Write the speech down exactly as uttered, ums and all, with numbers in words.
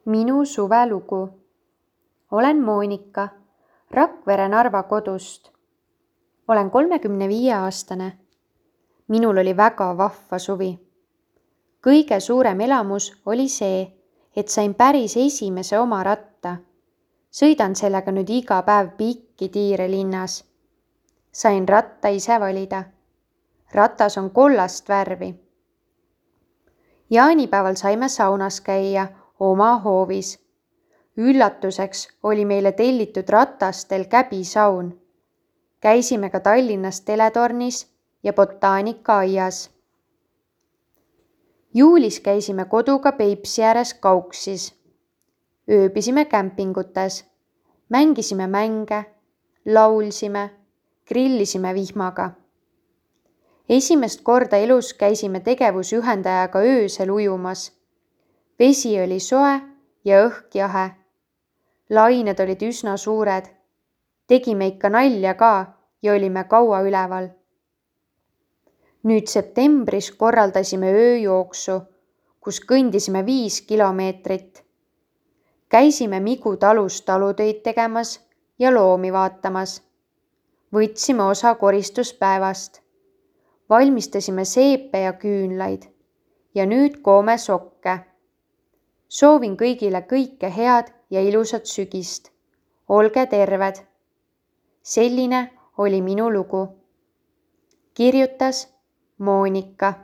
Minu suvelugu. Olen Moonika, Rakvere Narva kodust. Olen kolmekümne viie aastane. Minul oli väga vahva suvi. Kõige suurem elamus oli see, et sain päris esimese oma ratta. Sõidan sellega nüüd iga päev pikki tiire linnas. Sain ratta ise valida. Ratas on kollast värvi. Jaanipäeval saime saunas käia oma hoovis. Üllatuseks oli meile tellitud ratastel käbisaun. Käisime ka Tallinnas teletornis ja botaanika-aias. Juulis käisime koduga Peipsi ääres Kauksis. Ööbisime kämpingutes, mängisime mänge, laulsime, grillisime vihmaga. Esimest korda elus käisime tegevusjuhendajaga öösel ujumas. Vesi oli soe ja õhk jahe. Lained olid üsna suured. Tegime ikka nalja ka ja olime kaua üleval. Nüüd septembris korraldasime ööjooksu, kus kõndisime viis kilomeetrit. Käisime Migu talus talutöid tegemas ja loomi vaatamas. Võtsime osa koristuspäevast. Valmistasime seepe ja küünlaid ja nüüd koome sokke. Soovin kõigile kõike head ja ilusat sügist. Olge terved. Selline oli minu lugu. Kirjutas Moonika.